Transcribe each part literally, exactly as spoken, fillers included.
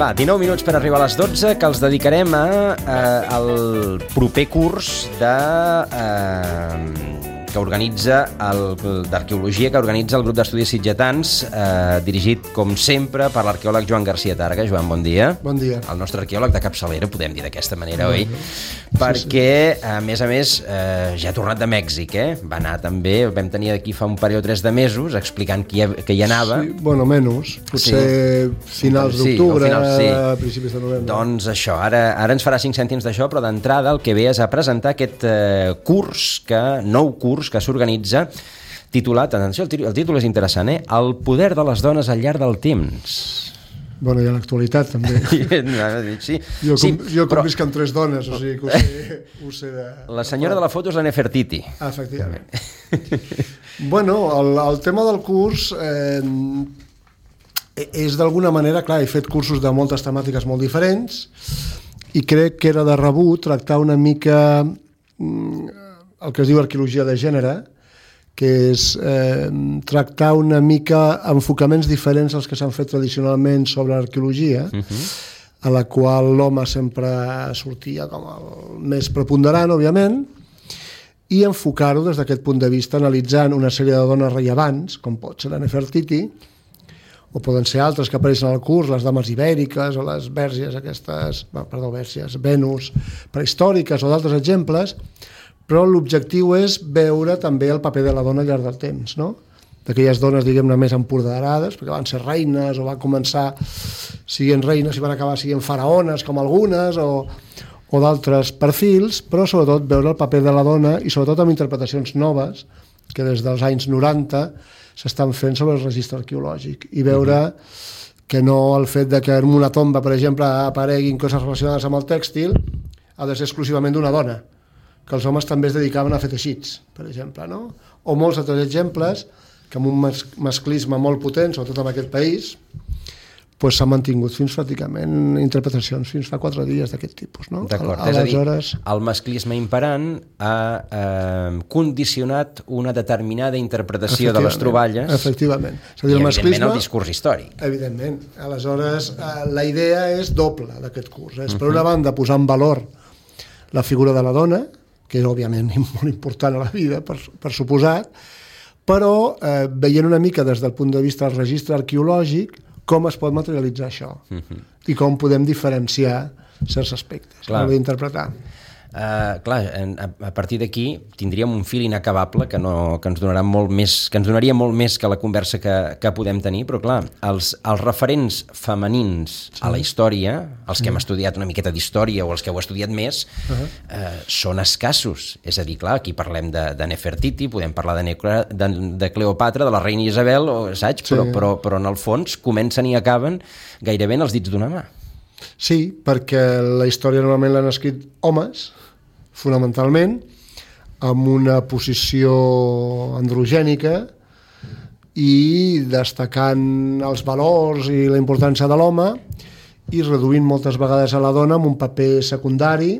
Va, dinou minuts per arribar a les dotze, que els dedicarem a, a, al proper curs de... Eh, que organitza el, d'arqueologia que organitza el grup d'estudis sitgetans, eh, dirigit, com sempre, per l'arqueòleg Joan García Targa. Joan, bon dia. Bon dia. El nostre arqueòleg de capçalera, podem dir d'aquesta manera, oi? Sí, perquè, sí. a més a més, eh, ja ha tornat de Mèxic, eh? Va anar també, vam tenir aquí fa un parell o tres de mesos, explicant que hi, que hi anava. Sí, bueno, menys. Potser sí. finals sí, d'octubre, finals, sí. principis de novembre. Doncs això, ara, ara ens farà cinc cèntims d'això, però d'entrada el que ve és a presentar aquest eh, curs, que nou curs que s'organitza titulat, atenció, el títol és interessant, eh? El poder de les dones al llarg del temps. Bueno, i a l'actualitat, també. sí, jo com, sí, jo com però... visc amb tres dones, o sigui que ho sé, ho sé de... La senyora de la foto és la Nefertiti. Ah, efectivament. bueno, el, el tema del curs eh, és d'alguna manera, clar, he fet cursos de moltes temàtiques molt diferents i crec que era de rebut tractar una mica el que es diu arqueologia de gènere, que és eh, tractar una mica enfocaments diferents als que s'han fet tradicionalment sobre l'arqueologia, uh-huh. a la qual l'home sempre sortia com el més preponderant, òbviament, i enfocar-ho des d'aquest punt de vista, analitzant una sèrie de dones rellevants, com pot ser la Nefertiti, o poden ser altres que apareixen al curs, les dames ibèriques o les vèrgies aquestes, perdó, vèrgies, Venus, prehistòriques o d'altres exemples, però l'objectiu és veure també el paper de la dona al llarg del temps, no? D'aquelles dones, diguem-ne, més empoderades, perquè van ser reines o van començar siguent reines i van acabar siguent faraones, com algunes, o, o d'altres perfils, però sobretot veure el paper de la dona i sobretot amb interpretacions noves, que des dels anys noranta s'estan fent sobre el registre arqueològic, i veure uh-huh. que no el fet de que en una tomba, per exemple, apareguin coses relacionades amb el tèxtil ha de ser exclusivament d'una dona, que els homes també es dedicaven a fer teixits, per exemple, no? O molts altres exemples que amb un mas- masclisme molt potent, sobretot en aquest país, pues, s'han mantingut fins pràcticament interpretacions fins fa quatre dies d'aquest tipus, no? D'acord, Al- és a dir, aleshores... el masclisme imperant ha eh, condicionat una determinada interpretació de les troballes efectivament. És a dir, i, el evidentment, masclisme, el discurs històric. Evidentment. Aleshores, eh, la idea és doble d'aquest curs. És, per una banda, posar en valor la figura de la dona, que és, òbviament, molt important a la vida, per, per suposat, però eh, veient una mica des del punt de vista del registre arqueològic com es pot materialitzar això uh-huh. i com podem diferenciar certs aspectes a l'hora d'interpretar. Uh, clar, a, a partir d'aquí tindríem un fil inacabable que, no, que ens donarà molt més, que ens donaria molt més que la conversa que, que podem tenir, però clar, els, els referents femenins sí. a la història, els que sí. hem estudiat una miqueta d'història o els que heu estudiat més, uh-huh. uh, són escassos. És a dir, clar, aquí parlem de, de Nefertiti, podem parlar de, Necra, de, de Cleopatra, de la reina Isabel, o, saps? Sí. Però, però, però en el fons comencen i acaben gairebé en els dits d'una mà. Sí, perquè la història normalment l'han escrit homes, fonamentalment, amb una posició androgènica i destacant els valors i la importància de l'home i reduint moltes vegades a la dona amb un paper secundari.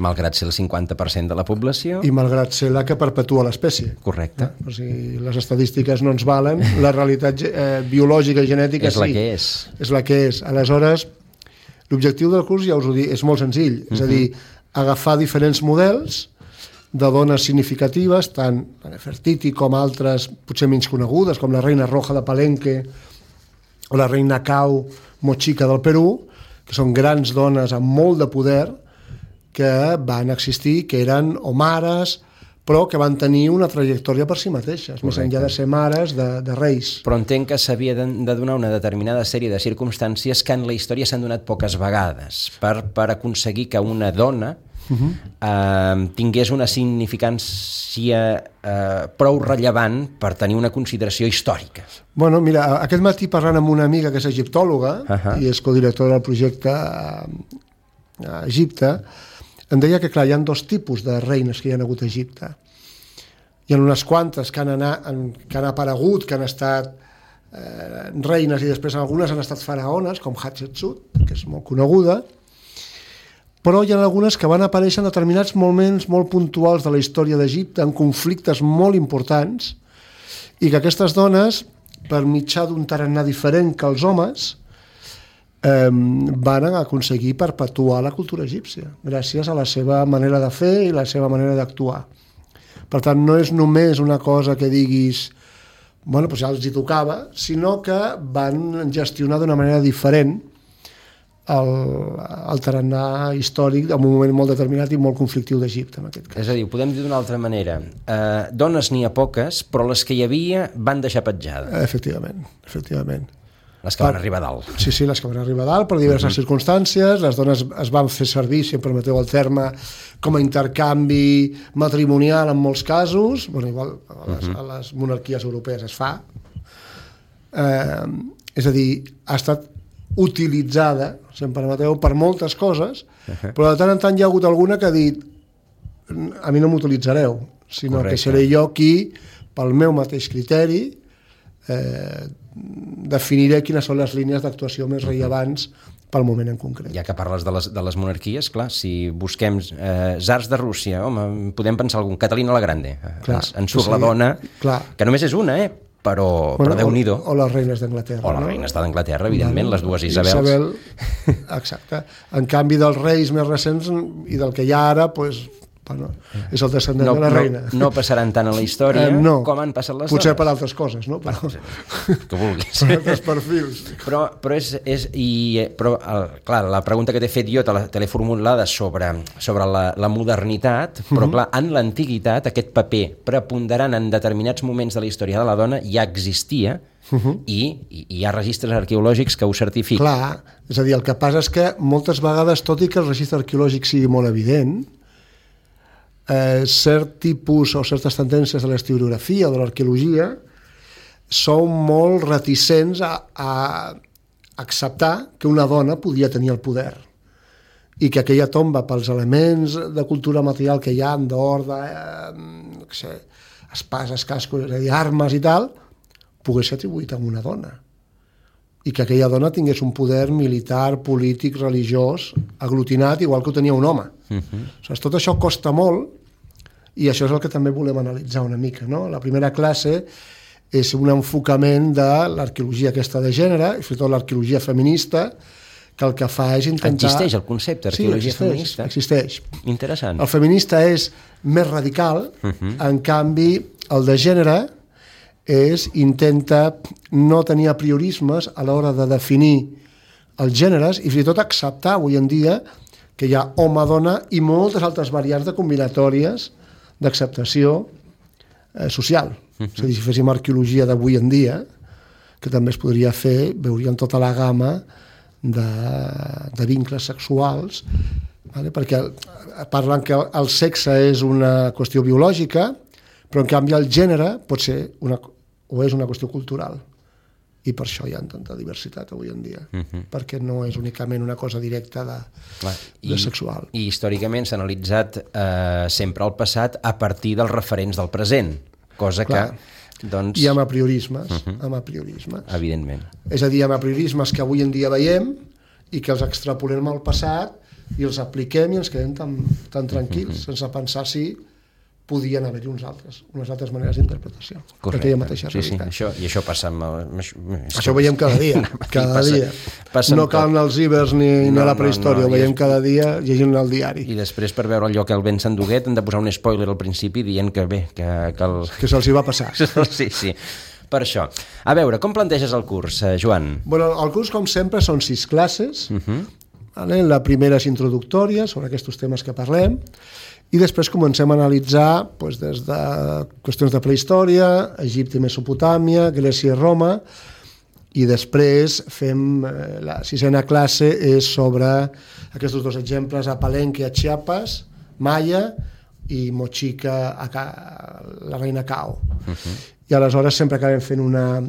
Malgrat ser el cinquanta per cent de la població. I malgrat ser la que perpetua l'espècie. Correcte. Eh? O sigui, les estadístiques no ens valen, la realitat eh, biològica i genètica és sí. la que és. És la que és. Aleshores, l'objectiu del curs, ja us ho dic, és molt senzill. Uh-huh. És a dir, agafar diferents models de dones significatives, tant la Nefertiti com altres potser menys conegudes, com la reina Roja de Palenque o la reina Cau Mochica del Perú, que són grans dones amb molt de poder que van existir, que eren o mares, però que van tenir una trajectòria per si mateixes, Correcte. Més enllà de ser mares de, de reis. Però entenc que s'havia de, de donar una determinada sèrie de circumstàncies que en la història s'han donat poques vegades per, per aconseguir que una dona uh-huh. eh, tingués una significància eh, prou rellevant per tenir una consideració històrica. Bueno, mira, aquest matí parlant amb una amiga que és egiptòloga uh-huh. i és codirectora del projecte a, a Egipte, em deia que, clar, hi ha dos tipus de reines que hi ha hagut a Egipte. Hi ha unes quantes que han, anat, que han aparegut, que han estat eh, reines i després algunes han estat faraones, com Hatshepsut, que és molt coneguda, però hi ha algunes que van aparèixer en determinats moments molt puntuals de la història d'Egipte, en conflictes molt importants, i que aquestes dones, per mitjà d'un tarannà diferent que els homes, eh, van aconseguir perpetuar la cultura egípcia, gràcies a la seva manera de fer i la seva manera d'actuar. Per tant, no és només una cosa que diguis, bueno, doncs ja els hi tocava, sinó que van gestionar d'una manera diferent el, el tarannà històric en un moment molt determinat i molt conflictiu d'Egipte, en aquest cas. És a dir, ho podem dir d'una altra manera. Eh, dones n'hi ha poques, però les que hi havia van deixar petjada. Efectivament, efectivament. Les que van arribar a dalt. Sí, sí, les que van arribar a dalt per diverses uh-huh. circumstàncies. Les dones es van fer servir, si em permeteu el terme, com a intercanvi matrimonial en molts casos. Bueno, igual a les, uh-huh. a les monarquies europees es fa. Eh, és a dir, ha estat utilitzada, si em permeteu, per moltes coses, uh-huh. però de tant en tant hi ha hagut alguna que ha dit a mi no m'utilitzareu, sinó Correcte. Que seré jo qui, pel meu mateix criteri, eh, definiré quines són les línies d'actuació més rellevants pel moment en concret. Ja que parles de les, de les monarquies, clar, si busquem eh, zars de Rússia, home, podem pensar algun, Catalina la Grande, clar, ens, ens surt sí, la dona, clar. Que només és una, eh? però, bueno, però Déu-n'hi-do. O, o les reines d'Anglaterra. O la no? reina està d'Anglaterra, evidentment, bueno, les dues Isabels. Isabel, exacte. En canvi dels reis més recents i del que hi ha ara, doncs, bueno, és el descendent no, de la reina. No, no passaran tant a la història eh, no. com han passat les Potser dones. Per altres coses, no? Però... Tu vulguis. Per altres perfils. Però, però, és, és, i, però el, clar, la pregunta que t'he fet jo te l'he formulada sobre, sobre la, la modernitat, però uh-huh. clar, en l'antiguitat aquest paper preponderant en determinats moments de la història de la dona ja existia uh-huh. i, i hi ha registres arqueològics que ho certifiquen. Clar, és a dir, el que passa és que moltes vegades, tot i que el registre arqueològic sigui molt evident, Eh, cert tipus o certes tendències de l'historiografia o de l'arqueologia són molt reticents a, a acceptar que una dona podia tenir el poder i que aquella tomba, pels elements de cultura material que hi ha, d'or, de, eh, no sé, espases, cascos, és a dir, armes i tal, pogués ser atribuït a una dona i que aquella dona tingués un poder militar, polític, religiós, aglutinat, igual que ho tenia un home. Uh-huh. O sigui, tot això costa molt i això és el que també volem analitzar una mica. No? La primera classe és un enfocament de l'arqueologia aquesta de gènere, i sobretot l'arqueologia feminista, que el que fa és intentar... Existeix el concepte d'arqueologia sí, feminista? existeix. Interessant. El feminista és més radical, uh-huh. en canvi el de gènere és intenta no tenir apriorismes a l'hora de definir els gèneres i fins i tot acceptar avui en dia que hi ha home-dona i moltes altres variants de combinatòries d'acceptació eh, social. Uh-huh. És a dir, si féssim arqueologia d'avui en dia, que també es podria fer, veuríem tota la gamma de, de vincles sexuals, vale? Perquè parlen que el sexe és una qüestió biològica, però en canvi el gènere pot ser una o és una qüestió cultural i per això hi ha tanta diversitat avui en dia, uh-huh. perquè no és únicament una cosa directa de, Clar, i, de sexual. I històricament s'ha analitzat eh, sempre el passat a partir dels referents del present, cosa Clar. que doncs... I amb apriorismes, uh-huh. amb apriorismes. Evidentment. És a dir, amb apriorismes que avui en dia veiem i que els extrapolem al passat i els apliquem i ens quedem tan, tan tranquils, uh-huh. sense pensar si podien haver-hi uns altres, unes altres maneres d'interpretació. Aquella mateixa sí, realitat. Sí, això, i això passa amb... El, això, això ho veiem cada dia, cada passa, dia. Passa no cal anar als ibers ni, no, ni a la prehistòria, no, no, ho veiem és... cada dia llegint el diari. I després, per veure allò que el vent s'enduguet, hem de posar un spoiler al principi dient que bé, que... Que, el... que se'ls hi va passar. Sí, sí, per això. A veure, com planteges el curs, Joan? Bueno, el curs, com sempre, són sis classes. Uh-huh. Vale? La primera és introductòria, sobre aquests temes que parlem, i després comencem a analitzar doncs, des de qüestions de prehistòria, Egipte i Mesopotàmia, Grècia i Roma, i després fem eh, la sisena classe és sobre aquests dos exemples a Palenque, a Chiapas, Maya, i Mochica, a Ca... la reina Cao. Uh-huh. I aleshores sempre acabem fent una,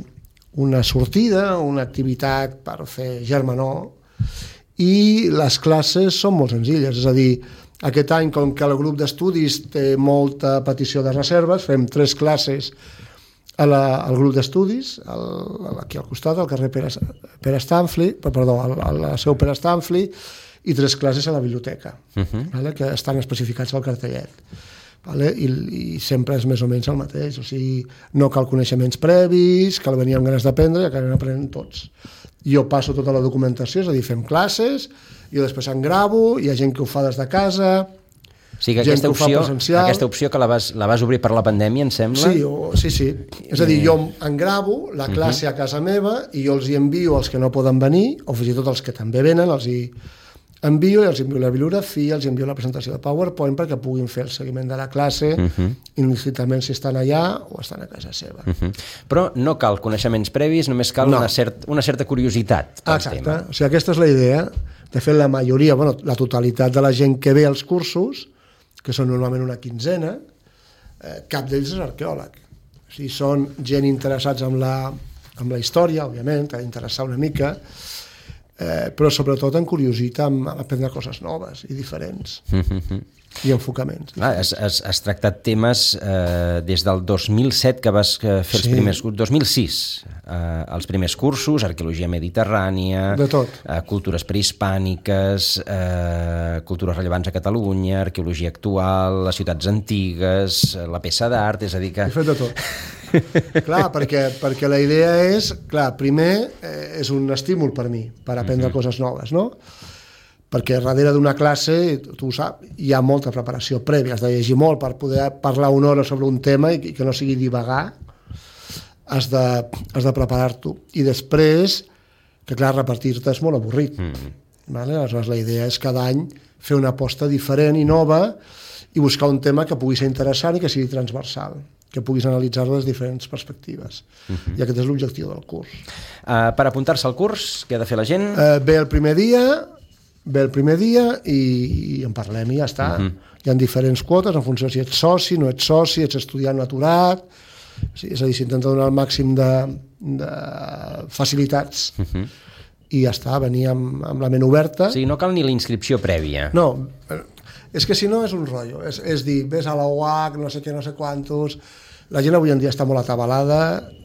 una sortida, una activitat per fer germanor, i les classes són molt senzilles, és a dir, aquest any, com que el grup d'estudis té molta petició de reserves, fem tres classes a la, al grup d'estudis, al, aquí al costat, al carrer Pere, Pere Stanfli, perdó, a la seu Pere Stanfli, i tres classes a la biblioteca, uh-huh. vale? Que estan especificats al cartellet. Vale? I, I sempre és més o menys el mateix, o sigui, no cal coneixements previs, cal venir amb ganes d'aprendre i acabem aprenent tots. jo passo tota la documentació, és a dir, fem classes, jo després en gravo, hi ha gent que ho fa des de casa... O sigui que aquesta opció, aquesta opció que la vas, la vas obrir per la pandèmia, em sembla? Sí, o, sí, sí. És a dir, jo en gravo la classe uh-huh. a casa meva i jo els hi envio als que no poden venir, o fins i tot els que també venen, els hi envio i els envio la bibliografia, els envio la presentació de PowerPoint perquè puguin fer el seguiment de la classe, uh-huh. indistintament si estan allà o estan a casa seva. Uh-huh. Però no cal coneixements previs, només cal no. una, cert, una certa curiositat pel Exacte. tema. O sigui, aquesta és la idea. De fet, la majoria, bueno, la totalitat de la gent que ve als cursos, que són normalment una quinzena, eh, cap d'ells és arqueòleg. O sigui, són gent interessats en la, en la història, òbviament, a interessar una mica, eh, però sobretot en curiositat, en aprendre coses noves i diferents. Mm-hmm. I enfocaments. Ah, has, has, has tractat temes eh, des del dos mil set que vas fer els sí. primers cursos, dos mil sis, eh, els primers cursos, arqueologia mediterrània, de tot. Eh, cultures prehispàniques, eh, cultures rellevants a Catalunya, arqueologia actual, les ciutats antigues, la peça d'art, és a dir que... He fet de tot. Clar, perquè, perquè la idea és, clar, primer eh, és un estímul per mi, per aprendre mm-hmm. coses noves, no? Perquè darrere d'una classe, tu ho saps, hi ha molta preparació prèvia, has de llegir molt per poder parlar una hora sobre un tema i que no sigui divagar, has de, has de preparar-t'ho. I després, que clar, repartir-te és molt avorrit. Mm. Vale? Aleshores, la idea és cada any fer una aposta diferent i nova i buscar un tema que pugui ser interessant i que sigui transversal, que puguis analitzar-lo des de diferents perspectives. Uh-huh. I aquest és l'objectiu del curs. Uh, per apuntar-se al curs, què ha de fer la gent? Uh, bé, el primer dia... ve el primer dia i, i en parlem i ja està. Uh-huh. Hi ha diferents quotes en funció si ets soci, no ets soci, ets estudiant aturat, sí, és a dir, s'intenta donar el màxim de, de facilitats uh-huh. i ja està, venir amb, amb la ment oberta. O sigui, no cal ni la inscripció prèvia. No, és que si no és un rotllo, és, és dir, ves a la U H C, no sé què, no sé quantos... La gent avui en dia està molt atabalada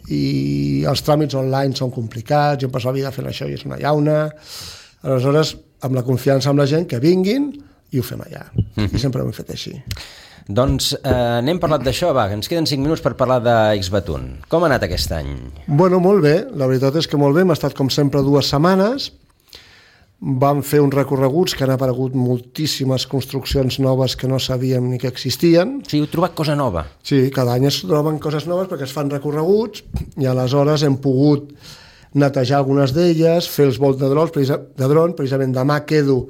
i els tràmits online són complicats, jo em passo la vida fent això i és una llauna... Aleshores, amb la confiança amb la gent, que vinguin i ho fem allà. Mm-hmm. I sempre ho hem fet així. Doncs eh, n'hem parlat d'això, va, ens queden cinc minuts per parlar d'Xbatun. Com ha anat aquest any? Bueno, molt bé, la veritat és que molt bé, hem estat com sempre dues setmanes, vam fer uns recorreguts que han aparegut moltíssimes construccions noves que no sabíem ni que existien. Sí, heu trobat cosa nova. Sí, cada any es troben coses noves perquè es fan recorreguts i aleshores hem pogut netejar algunes d'elles, fer els vols de dron, de dron, precisament demà quedo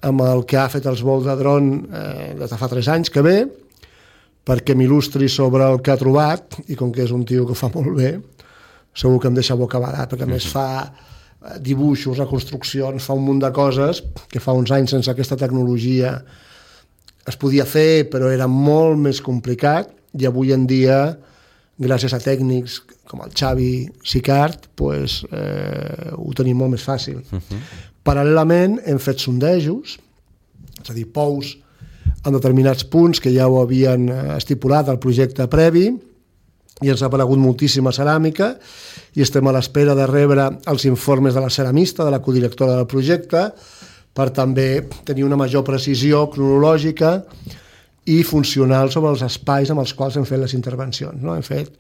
amb el que ha fet els vols de dron eh, des de fa tres anys que ve, perquè m'il·lustri sobre el que ha trobat, i com que és un tio que ho fa molt bé, segur que em deixa bocabadat, perquè a més fa dibuixos, reconstruccions, fa un munt de coses que fa uns anys sense aquesta tecnologia es podia fer, però era molt més complicat, i avui en dia, gràcies a tècnics com el Xavi Sicart, pues, eh, ho tenim molt més fàcil. Uh-huh. Paral·lelament hem fet sondejos, és a dir, pous en determinats punts que ja ho havien estipulat al projecte previ, i ens ha aparegut moltíssima ceràmica, i estem a l'espera de rebre els informes de la ceramista, de la codirectora del projecte, per també tenir una major precisió cronològica i funcional sobre els espais amb els quals hem fet les intervencions. No? Hem fet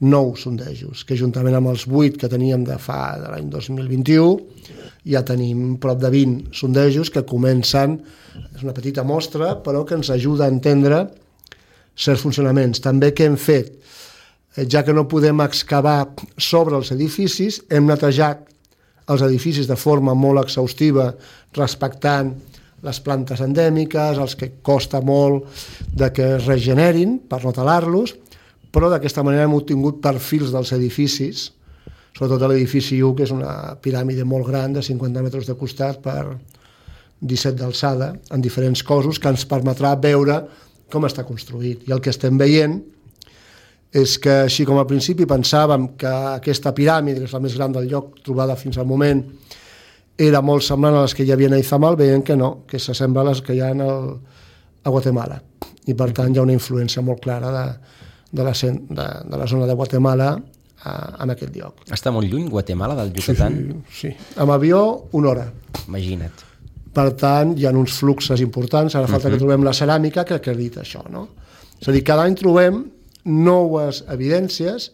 nou sondejos, que juntament amb els vuit que teníem de fa de l'any dos mil vint-i-u, ja tenim prop de vint sondejos que comencen, és una petita mostra, però que ens ajuda a entendre certs funcionaments. També què hem fet? Ja que no podem excavar sobre els edificis, hem netejat els edificis de forma molt exhaustiva, respectant les plantes endèmiques, els que costa molt de que es regenerin per no talar-los, però d'aquesta manera hem obtingut perfils dels edificis, sobretot l'edifici u, que és una piràmide molt gran, de cinquanta metres de costat per disset d'alçada, en diferents cossos, que ens permetrà veure com està construït. I el que estem veient és que, així com al principi pensàvem que aquesta piràmide, que és la més gran del lloc trobada fins al moment, era molt semblant a les que hi havia a Izamal, veiem que no, que s'assembla a les que hi ha en el, a Guatemala. I per tant hi ha una influència molt clara de, de, la, de, de la zona de Guatemala a, en aquest lloc. Està molt lluny Guatemala del Yucatán? Sí, sí. Amb avió, una hora. Imagina't. Per tant, hi ha uns fluxos importants, ara falta uh-huh. que trobem la ceràmica que acredita això, no? És a dir, cada any trobem noves evidències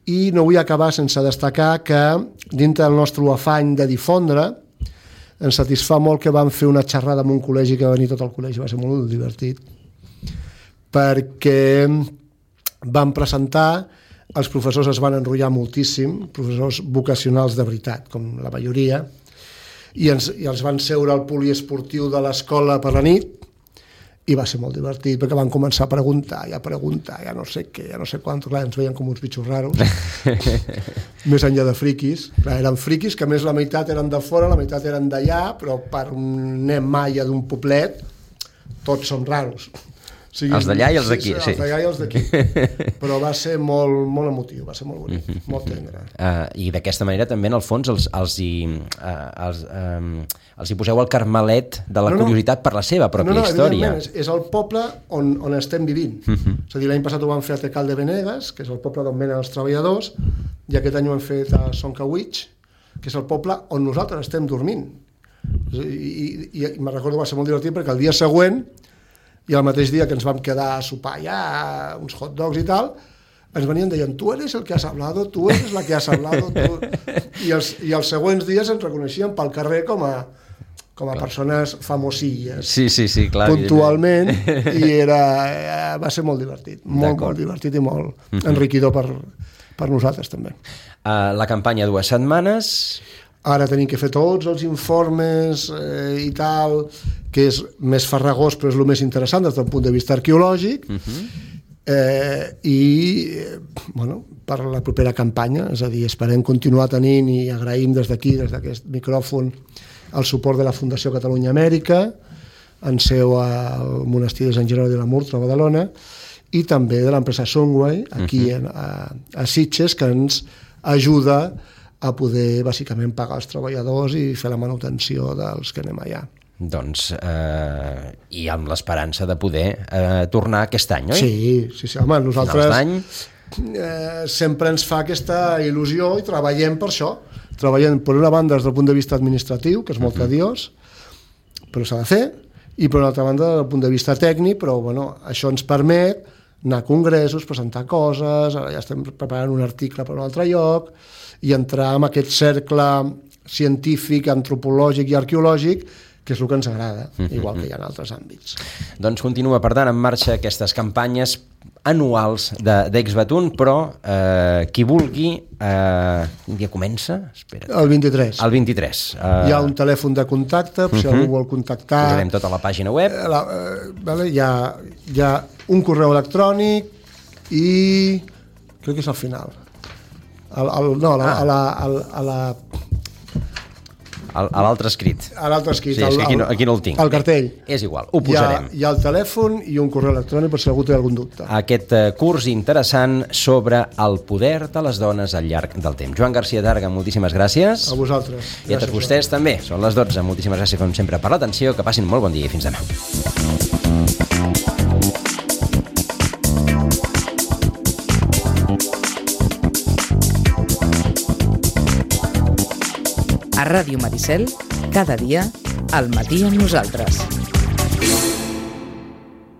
I no vull acabar sense destacar que dintre del nostre afany de difondre ens satisfà molt que vam fer una xerrada en un col·legi, que va venir tot el col·legi, va ser molt divertit, perquè vam presentar, els professors es van enrotllar moltíssim, professors vocacionals de veritat, com la majoria, i, ens, i els van seure al poliesportiu de l'escola per la nit, i va ser molt divertit, perquè van començar a preguntar, i a preguntar, ja no sé què, ja no sé quant, clar, ens veien com uns bitxos raros, més enllà de friquis, clar, eren friquis que a més la meitat eren de fora, la meitat eren d'allà, però per un nen maia d'un poblet, tots són raros. O sigui, els d'allà i els d'aquí. Sí, sí, els d'allà i els d'aquí. Però va ser molt, molt emotiu, va ser molt bonic, mm-hmm. molt tendre. Uh, I d'aquesta manera també, en el fons, els, els, hi, uh, els, um, els hi poseu el carmelet de la no, no. curiositat per la seva pròpia no, no, història. És, és el poble on, on estem vivint. Mm-hmm. És a dir, l'any passat ho vam fer a Tecal de Benegues, que és el poble d'on venen els treballadors, i aquest any ho hem fet a Soncawitx, que és el poble on nosaltres estem dormint. I, i, i, i me'n recordo, va ser molt divertit, perquè el dia següent, i el mateix dia que ens vam quedar a sopar ja, uns hot dogs i tal, ens venien deien, tu eres el que has hablado, tu eres la que has hablado, tu... I, els, i els següents dies ens reconeixien pel carrer com a, com a persones famosilles. Sí, sí, sí, clar. Puntualment, i era, va ser molt divertit, molt, molt divertit i molt uh-huh. enriquidor per, per nosaltres també. Uh, la campanya dues setmanes... Ara tenim que fer tots els informes eh, i tal, que és més farragós, però és el més interessant des del punt de vista arqueològic, uh-huh. eh, i bueno, per la propera campanya, és a dir, esperem continuar tenint i agraïm des d'aquí, des d'aquest micròfon, el suport de la Fundació Catalunya Amèrica, en seu al monestir de Sant Jeroni de la Murtra, a Badalona, i també de l'empresa Sunway, aquí uh-huh. a, a Sitges, que ens ajuda a poder, bàsicament, pagar els treballadors i fer la manutenció dels que anem allà. Doncs, eh, i amb l'esperança de poder eh, tornar aquest any, oi? Sí, sí, sí, home, nosaltres eh, sempre ens fa aquesta il·lusió i treballem per això. Treballem, per una banda, des del punt de vista administratiu, que és molt tediós, uh-huh. però s'ha de fer, i per una altra banda, des del punt de vista tècnic, però bueno, això ens permet anar a congressos, presentar coses, ara ja estem preparant un article per un altre lloc, i entrar en aquest cercle científic, antropològic i arqueològic, que és el que ens agrada, igual que hi ha en altres àmbits. Doncs continua, per tant, en marxa aquestes campanyes anuals d'Exbatun, però eh, qui vulgui, eh, un dia comença? Espera't. El vint-i-tres. El vint-i-tres. Eh... Hi ha un telèfon de contacte, si uh-huh. algú vol contactar... Posarem tota la pàgina web. La, eh, vale, hi, ha, hi ha un correu electrònic i crec que és al final. El, el, no, la, ah. a la... A la a l'altre escrit. A l'altre escrit. Sí, és que aquí no, aquí no el tinc. El cartell. Bé, és igual, ho posarem. Hi ha, hi ha el telèfon i un correu electrònic per si algú té algun dubte. Aquest uh, curs interessant sobre el poder de les dones al llarg del temps. Joan Garcia Targa, moltíssimes gràcies. A vosaltres. I a tots vostès també. Són les dotze. Moltíssimes gràcies, com sempre, per l'atenció. Que passin molt bon dia i fins demà. A Ràdio Maricel, cada dia, al matí amb nosaltres.